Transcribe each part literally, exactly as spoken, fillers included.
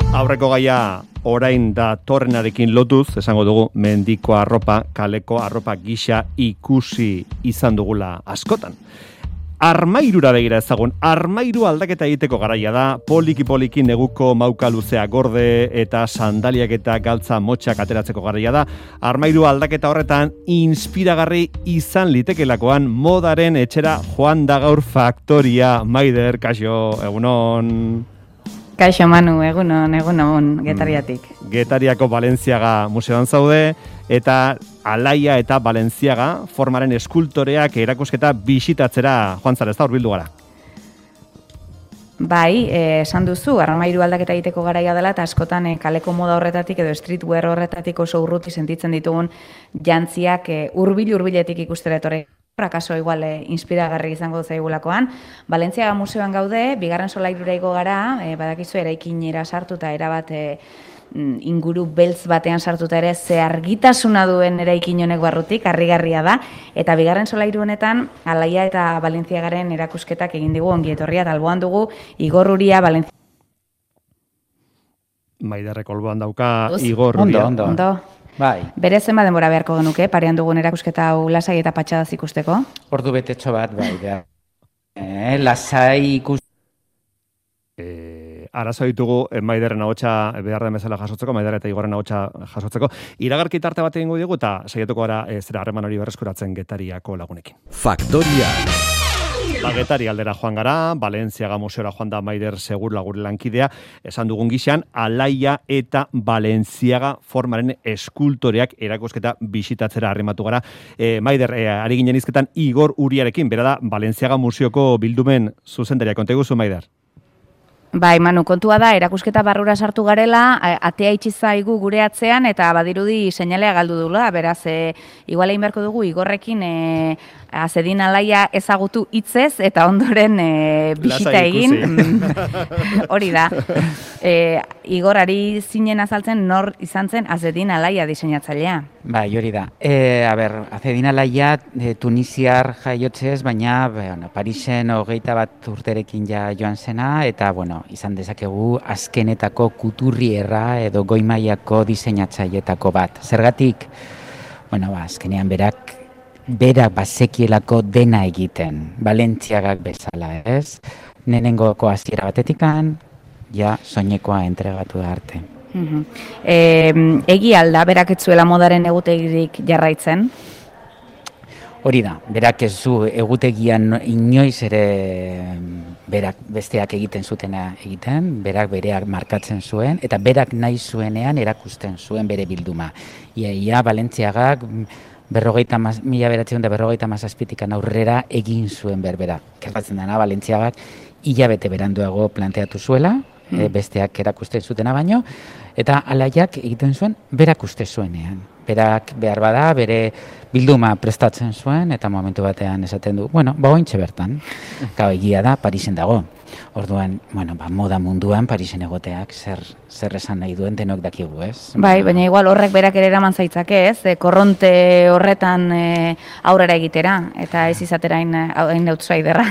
Aurreko gaia orain da torrenarekin lotuz, esango dugu mendiko arropa, kaleko arropa gisa ikusi izan dugula askotan. Armairura begira ezagun, armairu aldaketa egiteko garaia da, poliki-poliki neguko mauka luzea gorde eta sandaliak eta galtza motxak ateratzeko garaia da. Armairu aldaketa horretan inspiragarri izan litekelakoan modaren etxera joan da gaur Faktoria. Maider, kaixo, egunon. Kaixo Manu, egunon, egunon, Getariatik. Getariako Balentziaga museoan zaude, eta Alaia eta Balentziaga formaren eskultoreak erakusketa bisitatzera joan zara, ez da hurbildu gara? Bai, esan duzu, armairu aldaketa egiteko garaia dela, eta askotan eh, kaleko moda horretatik edo streetwear horretatik oso urruti sentitzen ditugun jantziak eh, hurbil-hurbiletik ikustera etorri. Akaso igual eh, inspiragarri izango zaigulakoan. Balentziaga museoan gaude, bigarren solairura igo gara, eh, badakizu eraikinera sartuta erabat eh, inguru beltz batean sartuta ere ze argitasuna duen eraikin honek barrutik, harrigarria da, eta bigarren solairu honetan Alaia eta Balentziagaren erakusketak egin digu ongi etorria, eta alboan dugu Igor Uria Balentziaga. Maiderrek alboan dauka Igor Uria. Ondo, ondo. Ondo. Bai. Bere zenba denbora beharko genuke, parean dugun erakusketa hau lasai eta patxadaz ikusteko? Ordu betetxo bat, bai, da. Eh, lasai ikus... Eh, arazo ditugu eh, Maiderren ahotsa behar den bezala jasotzeko, Maider eta Igorren ahotsa jasotzeko. Iragarki tarte bat egingo digu eta saiatuko gara eh, zera harreman hori berreskuratzen Getariako lagunekin. Faktoria. Ba, Getari aldera joan gara, Balentziaga museora joan da Maider segur lagure lankidea, esan dugun gixan, Alaia eta Balentziaga formaren eskultoreak erakusketa bisitatzera arrimatu gara. E, Maider, e, ari ginen izketan Igor Uriarekin, bera da, Balentziaga museoko bildumen zuzendaria. Konta iguzu, Maider? Bai, Manu, kontua da, erakusketa barrura sartu garela, atea itxi zaigu gure atzean, eta badirudi seinalea galdu dula, beraz, e, igual egin beharko dugu Igorrekin e, azedin Alaia ezagutu hitzez, eta ondoren e, bisita egin. Hori da. E, Igorari zinen azaltzen nor izan zen azedin Alaia diseinatzailea. Bai, hori da. E, a ber, azedin Alaia e, tunisiar jaiotzez, baina bueno, Parisen hogeita bat urterekin ja joan zena, eta bueno, izan dezakegu azkenetako kuturrierra edo goimaiako diseinatzailetako bat. Zergatik, bueno, ba, azkenean berak, berak bazekielako dena egiten, Balentziagak bezala, ez? Nenengoko hasiera batetikan, ja soinekoa entregatu da arte. Uh-huh. E, egi alda, berak ez zuela modaren egutegirik jarraitzen? Hori da, berak ez zu egutegian inoiz ere berak besteak egiten zutena egiten, berak bereak markatzen zuen, eta berak nahi zuenean erakusten zuen bere bilduma. Ia, ia Balentziagak berrogeita maz, mila beratzen da berrogeita mazazpitikan aurrera egin zuen berbera. Gertatzen dena, Balentziagak hilabete beranduago planteatu zuela, mm. e, besteak erakusten zutena baino, eta Alaiak egiten zuen berak uste zuenean. Berak behar bada, bere bilduma prestatzen zuen, eta momentu batean esaten du, bueno, ba ointxe bertan. Gau, egia da, Parisen dago. Orduan, bueno, ba, moda munduan Parisen egoteak zer, zer esan nahi duen denok dakigu, ez? Bai, baina igual horrek berak ere eraman zaitzake, ez? E, korronte horretan e, aurrera egitera, eta ez izatera hain outsiderra.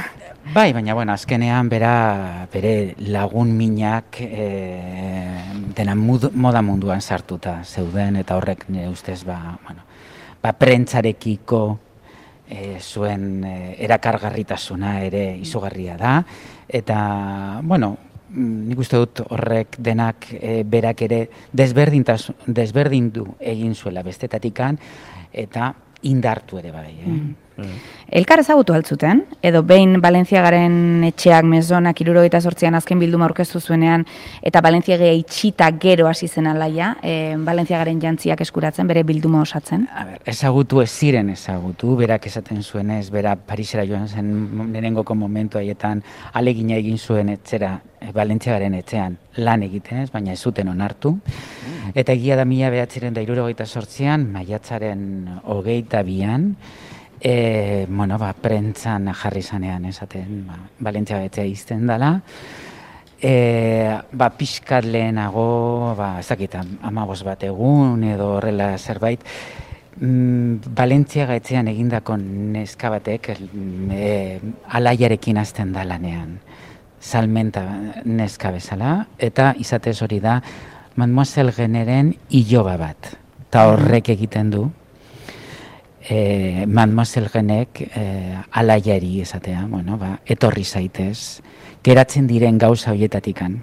Bai, baina, bueno, azkenean bera, bere lagun minak e, dena mud, moda munduan sartuta zeuden, eta horrek nire ustez, ba, bueno, ba, prentzarekiko e, zuen e, erakargarritasuna ere izugarria da, eta, bueno, nik uste dut horrek denak e, berak ere desberdindu egin zuela bestetatikan, eta indartu ere bai, eh? Mm. Elkar ezagutu altzuten, edo behin Balentziagaren etxeak mezonak hirurogeita zortzian azken bilduma aurkeztu zuenean, eta Balentziaga itxita gero hasi zen Alaia, e, Balentziagaren jantziak eskuratzen, bere bilduma osatzen? A ber, ezagutu ez ziren ezagutu, berak esaten zuenez, bera Parisera joan zen lehenengoko momentu haietan alegina egin zuen etxera, Balentziagaren etxean lan egiten ez, baina ez zuten onartu. Eta egia da mila behatziren da hirurogeita zortzian, maiatzaren hogeita bian, E, bueno, ba, prentzan jarri zanean esaten, ba, Balentziaga etxea izten dela. E, ba, pixkat lehenago, ba, ez dakit, amabos bat egun edo horrela zerbait, mm, Balentziaga etxean egindako neska batek e, Alaiarekin hasten da lanean. salmenta neska bezala, eta izatez hori da Mademoiselle Generen iloba bat. Eta horrek egiten du, eh, Mademoiselle Genek eh, alaiari esatea, bueno, ba, etorri zaitez, geratzen diren gauza horietatikan,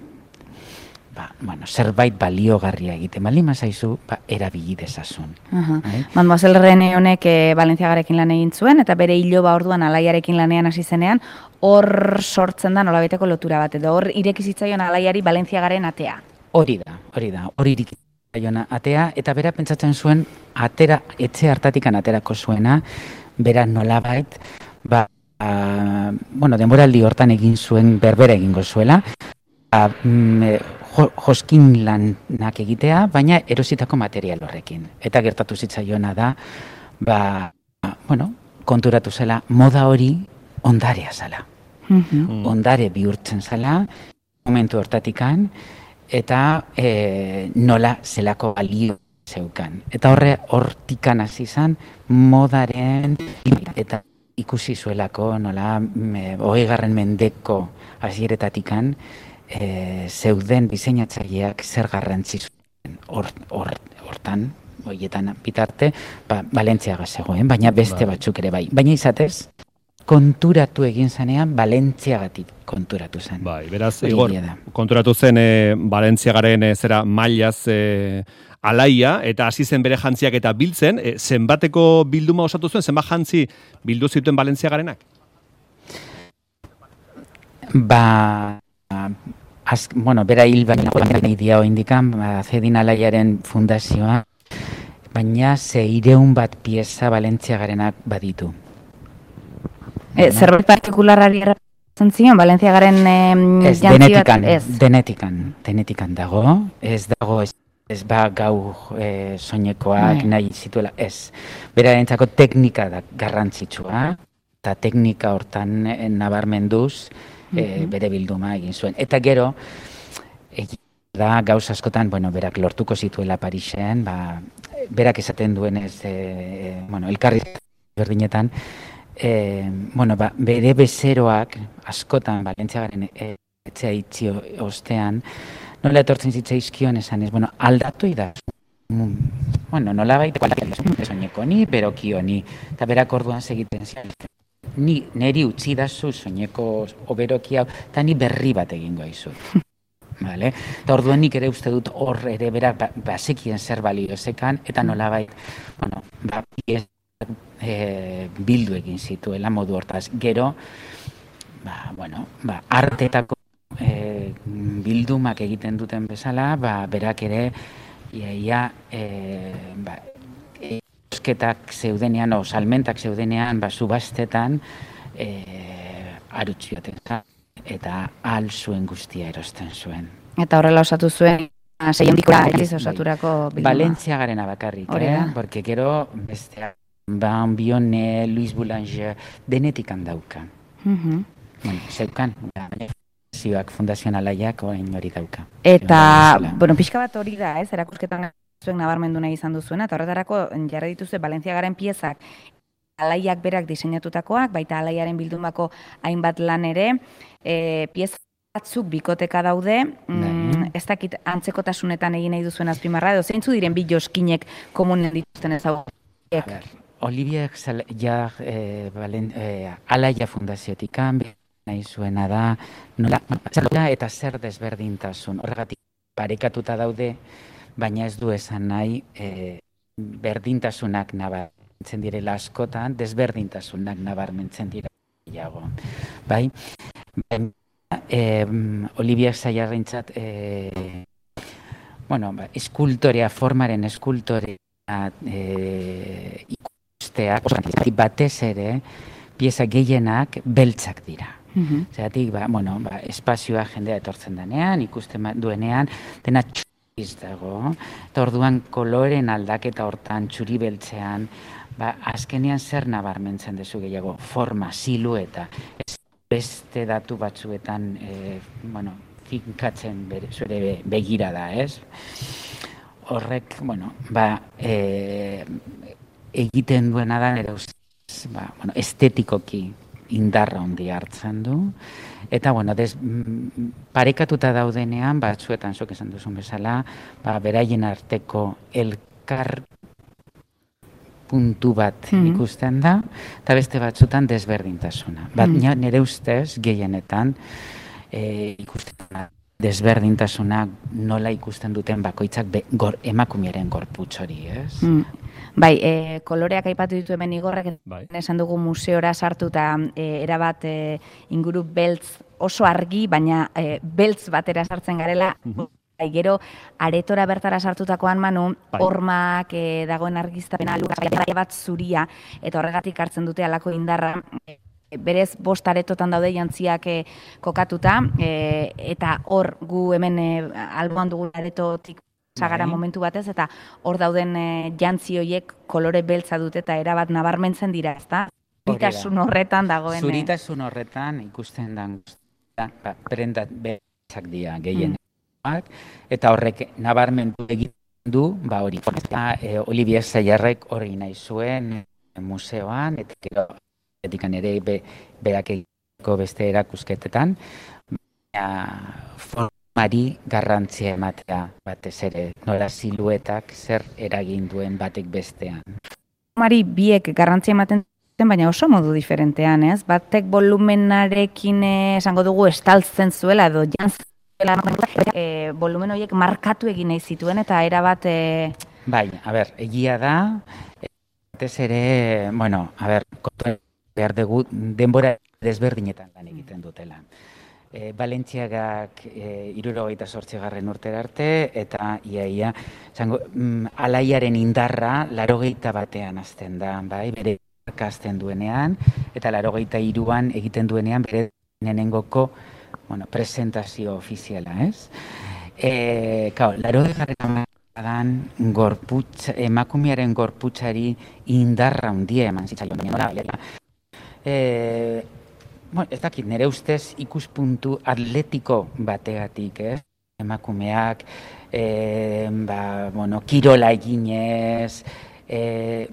ba, bueno, zerbait baliogarria egiten, bali mazaizu, ba, erabili dezazun. Uh-huh. Mademoiselle Rene honek e, Valentziagarekin lan egin zuen, eta bere iloba orduan alaiarekin lanean hasi zenean, hor sortzen da nolabaiteko lotura bat, edo hor irekizitzaion alaiari Valentziagaren atea. Hori da, hori da, hori irekizitzaion atea, eta bera pentsatzen zuen, atera, etxe hartatikan aterako zuena, bera nolabait, ba, a, bueno, denboraldi hortan egin zuen berbera egingo zuela, a, mm, jo, joskin lanak egitea, baina erositako material horrekin. Eta gertatu zitzaiona da, ba, bueno, konturatu zela, moda hori ondarea zala. Mm-hmm. Ondare bihurtzen zala, momentu hortatikan, eta e, nola zelako balio zeukan. Eta horre hortikan hasi izan modaren eta ikusi zuelako nola me, hogeigarren mendeko hasieretatikan e, zeuden diseinatzaileak zer garrantzi zuen hortan, horietan bitarte, ba, Valentziaga zegoen, baina beste batzuk ere bai. Baina izatez, konturatu egin zanean, Valentziagatik konturatu zen. Bai, beraz, Igor, konturatu zen e, Valentziagaren e, zera mailaz e, alaia, eta hasi zen bere jantziak eta biltzen, e, zenbateko bilduma osatu zuen, zenbat jantzi bildu zituen Valentziagarenak? Ba, az, bueno, bera hil baina idia indikan, ba, Zedin alaiaren fundazioa, baina zeireun bat pieza Valentziagarenak baditu. E, zerbait partikularari erratzen zion, Valentziagaren eh, ez, denetikan, ez. denetikan, denetikan dago, ez dago, ez, ez ba gau eh, soinekoak Ai. nahi zituela, ez. Berarentzako teknika da garrantzitsua, eta teknika hortan eh, nabarmenduz eh, mm-hmm. bere bilduma egin zuen. Eta gero, egin da gauz askotan, bueno, berak lortuko zituela Parisen, ba, berak esaten duenez, eh, bueno, elkarri berdinetan, E, bueno, ba, bere bezeroak askotan Valentziagaren etxea itxi ostean, nola etortzen zitzaizkion esan ez, bueno, aldatu da. Bueno, nola baita soineko ni, beroki honi, eta berak orduan segiten zian. Ni neri utzi dazu soineko oberoki hau, eta ni berri bat egingo aizu. Vale? Eta orduan nik ere uste dut hor ere berak ba, bazekien zer balio zekan, eta nola baita, bueno, ba, E, bildu egin zituela modu hortaz. Gero, ba, bueno, ba, artetako e, bildumak egiten duten bezala, ba, berak ere iaia e, ba, eusketak zeudenean, o salmentak zeudenean, ba, subastetan e, arutxioten eta al zuen guztia erosten zuen. Eta horrela osatu zuen zeiendikoa osaturako bilduma. Valentziagarena bakarrik, eh? Porque gero besteak Ban Bione, Louis Boulanger, denetik handauka. Mm-hmm. Bueno, zeukan, zioak fundazionalaiak orain hori dauka. Eta, bueno, pixka bat hori da, ez, erakusketan zuen nabarmendu nahi izan duzuena, eta horretarako jarri dituzue Valentziagaren piezak alaiak berak diseinatutakoak, baita alaiaren bildumako hainbat lan ere, e, pieza batzuk bikoteka daude, mm, ez dakit antzekotasunetan egin nahi duzuen azpimarra, edo zeintzu diren bi joskinek komunen dituzten ezagutek? Olivier ja, eh, Valen, eh, Alaia fundaziotikan nahi zuena da, nola, eta zer desberdintasun. Horregatik parekatuta daude, baina ez du esan nahi eh, berdintasunak nabarmentzen direla askotan, desberdintasunak nabarmentzen direla. Bai? Eh, Olivier Zaiarrentzat, eh, bueno, ba, eskultorea, formaren eskultorea, eh, batez ere pieza gehienak beltzak dira. Mm-hmm. Zeratik, ba, bueno, ba, espazioa jendea etortzen denean, ikusten duenean, dena txuriz dago, eta orduan koloren aldaketa hortan txuri beltzean, ba, azkenean zer nabarmentzen dezu gehiago, forma, silueta, ez beste datu batzuetan, e, bueno, finkatzen bere, zure begira da, ez? Horrek, bueno, ba, e, egiten duena da, nire ustez, ba, bueno, estetikoki indarra handi hartzen du. Eta, bueno, des, parekatuta daudenean, batzuetan, zuk esan duzun bezala, ba, beraien arteko elkar puntu bat mm-hmm. ikusten da, eta beste batzutan desberdintasuna. Bat, mm-hmm. nire ustez, gehienetan, e, ikusten da, desberdintasuna nola ikusten duten bakoitzak be, gor, emakumearen gorputz hori, ez? Mm. Bai, e, koloreak aipatu ditu hemen Igorrek, bai. Esan dugu museora sartuta e, erabat e, inguru beltz oso argi, baina e, beltz batera sartzen garela, mm-hmm. Bai, gero, aretora bertara sartutakoan Manu, bai. Hormak e, dagoen argiztapena lurra bat zuria, eta horregatik hartzen dute halako indarra, e, berez bost aretotan daude jantziak e, kokatuta, e, eta hor gu hemen e, alboan dugu aretotik sagara momentu batez, eta hor dauden e, jantzi horiek kolore beltza dute, eta erabat nabarmentzen dira, ezta? Zuritasun horretan dagoen. Zuritasun horretan ikusten da, ba, prendat beltzak dira gehien. Mm. Eta horrek nabarmentu egin du, ba hori. E, Olivier Sayarrek hori nahi zuen e, museoan, eta gero etikan ere be, berak egiko beste erakusketetan, baina formari garrantzia ematea batez ere, nola siluetak zer eragin duen batek bestean. Formari biek garrantzia ematen baina oso modu diferentean, ez? Batek volumenarekin esango dugu estaltzen zuela edo jantzen E, volumen horiek markatu egin nahi zituen eta erabat... E... Bai, a ber, egia da, batez ere, bueno, a ber, behar dugu denbora desberdinetan lan egiten dutela. E, Balentziagak e, hirurogeita zortzigarren urtera arte, eta iaia, zango, mm, alaiaren indarra larogeita batean azten da, bai, bere azten duenean, eta larogeita hiruan egiten duenean bere nenengoko bueno, presentazio ofiziala, ez? E, kao, laro degarren amadan gorputz, emakumearen gorputzari indarra hundia eman zitzaion. E, bueno, ez dakit, nire ustez ikuspuntu atletiko bategatik, ez? Emakumeak, e, ba, bueno, kirola eginez, e,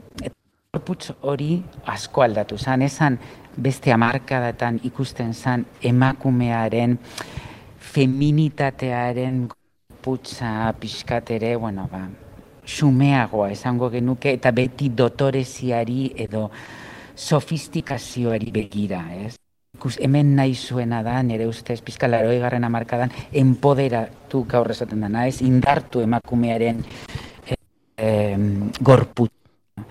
gorputz hori asko aldatu zan, esan beste hamarkadatan ikusten zan emakumearen feminitatearen gorputza pixkatere, bueno, ba, xumeagoa esango genuke, eta beti dotoreziari edo sofistikazioari begira, ez? Ikus, hemen nahi zuena da, nire ustez, pixka laroi garren hamarkadan, empoderatu gaur esaten dana, ez? Indartu emakumearen e, e, gorputza.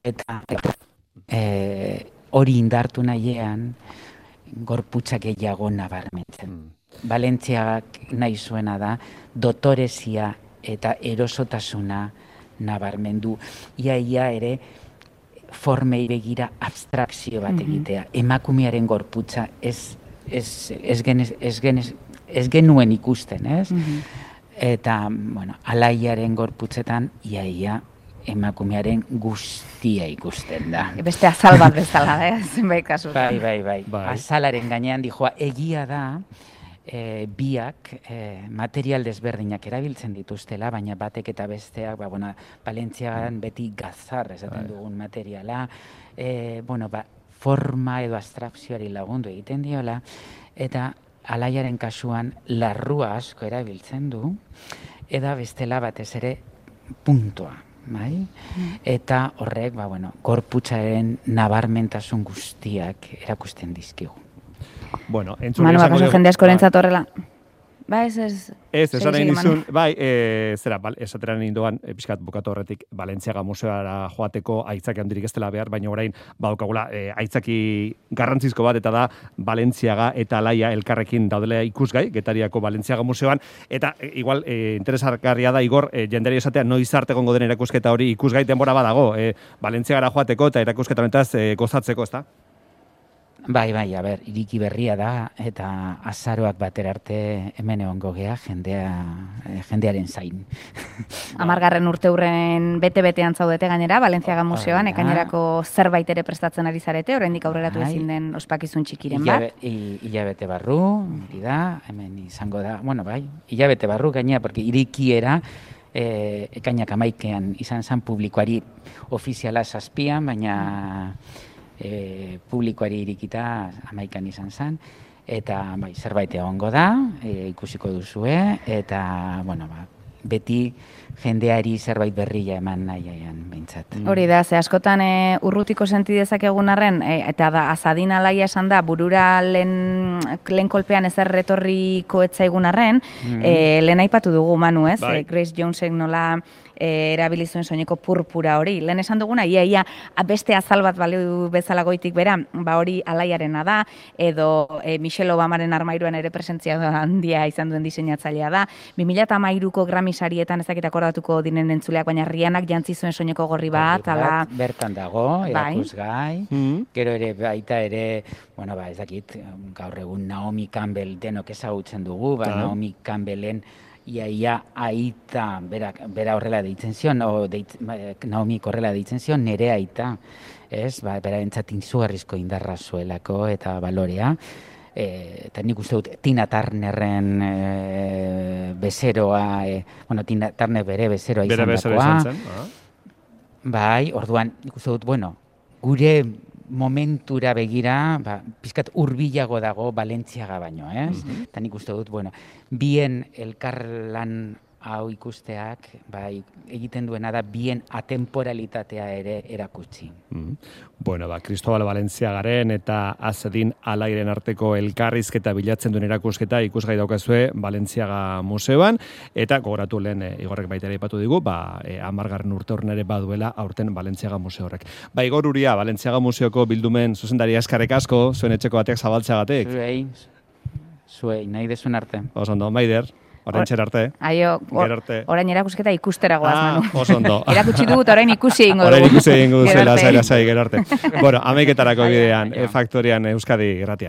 Eta e, hori indartu nahiean, gorputza gehiago nabarmentzen. Mm. Balentziagak nahi zuena da, dotorezia eta erosotasuna nabarmendu. Iaia ere, formei begira abstrakzio bat egitea. Mm-hmm. Emakumearen gorputza ez, ez, ez, genez, ez, genez, ez genuen ikusten, ez? Mm-hmm. Eta, bueno, alaiaren gorputzetan, iaia, emakumearen guztia ikusten da. Beste azal bat bezala, eh? Zenbait kasu. Bai, bai, bai, bai. Azalaren gainean dijoa, egia da, e, biak e, material desberdinak erabiltzen dituztela, baina batek eta besteak, ba, bueno, Balentziagan beti gazar esaten dugun materiala, e, bueno, ba, forma edo abstrakzioari lagundu egiten diola, eta alaiaren kasuan larrua asko erabiltzen du, eta bestela batez ere puntua. Bai? Eta horrek, ba, bueno, gorputzaren nabarmentasun guztiak erakusten dizkigu. Bueno, entzun Manu, bakaso jende askorentzat horrela. Ba, ez, ez... Ez, esan nahi nizun, bai, e, zera, bal, esateran ninduan, e, pixkat bukatu horretik, Balentziaga museoara joateko aitzaki handirik ez dela behar, baina orain, baukagula, e, aitzaki garrantzizko bat, eta da, Balentziaga eta Alaia elkarrekin daudela ikusgai, Getariako Balentziaga museoan, eta e, igual, e, interesargarria da, Igor, e, jendari esatea, noiz arte egongo den erakusketa hori ikusgai denbora badago, e, Balentziagara joateko eta erakusketa honetaz e, gozatzeko, ezta? Bai, bai, a ber, iriki berria da, eta azaroak batera arte hemen egongo gea jendea, jendearen zain. Amargarren urte hurren bete-betean zaudete gainera, Balentziaga museoan, ekainerako zerbait ere prestatzen ari zarete, oraindik aurreratu ezin den ospakizun txikiren bat. Hilabete barru, hori da, hemen izango da, bueno, bai, hilabete barru gainera, porque irikiera, e, ekainak amaikean izan zen publikoari ofiziala zazpian, baina... e, publikoari irikita amaikan izan zen, eta bai, zerbait egongo da, e, ikusiko duzue, eta, bueno, ba, beti jendeari zerbait berria eman nahian behintzat. Mm. Hori da, ze askotan e, urrutiko senti dezakegun arren, e, eta da, azadin alaia esan da, burura lehen, lehen kolpean ezer retorriko etzaigun arren, mm. e, lehen aipatu dugu, Manu, ez? Bai. E, Grace Jonesek nola e, erabili zuen soineko purpura hori. Lehen esan duguna, ia, ia, beste azal bat baliu bezala goitik bera, ba hori alaiarena da, edo e, Michelle Obamaren armairuan ere presentzia handia izan duen diseinatzailea da. bi mila hamairuko Grammy sarietan ezakit akordatuko dinen entzuleak, baina Rihannak jantzi zuen soineko gorri bat, ala... Bertan dago, erakusgai, bai. Gero ere baita ere, bueno, ba, ez dakit, gaur egun Naomi Campbell denok ezagutzen dugu, ba, ah. Naomi Campbellen ia, ia, aita, bera, bera horrela deitzen zion, o deit, Naomi horrela deitzen zion, nere aita, ez, ba, bera entzat izugarrizko indarra zuelako eta balorea, e, eta nik uste dut Tina Turnerren e, bezeroa, e, bueno, Tina Turner bere bezeroa izan bere dakoa, izan zen, ah. Bai, orduan, nik uste dut, bueno, gure momentura begira, ba, pizkat hurbilago dago Balentziaga baino, ez? Mm-hmm. Eta nik uste dut, bueno, bien elkarlan hau ikusteak, bai, egiten duena da bien atemporalitatea ere erakutsi. Mm. Bueno, ba, Cristobal Balentziagaren eta Azedin Alairen arteko elkarrizketa bilatzen duen erakusketa ikusgai daukazue Balentziaga museoan, eta gogoratu lehen e, Igorrek baita ere aipatu digu, ba, e, amargarren urte horren ere baduela aurten Balentziaga museo horrek. Ba, Igor Uria, Balentziaga museoko bildumen zuzendari askarek asko, zuen etxeko batek zabaltzeagatik. Zuei, zuei, nahi dezun arte. Oso ondo, Maider. Orain txer arte. Aio, or, orain erakusketa ikustera goaz, ah, Manu. Oso ondo. Erakutsi dugut, orain ikusi egingo dugu. Orain ikusi egingo dugu, zela, zela, zela, gero arte. Bueno, ameiketarako bidean, e, Faktorian Euskadi Gratian.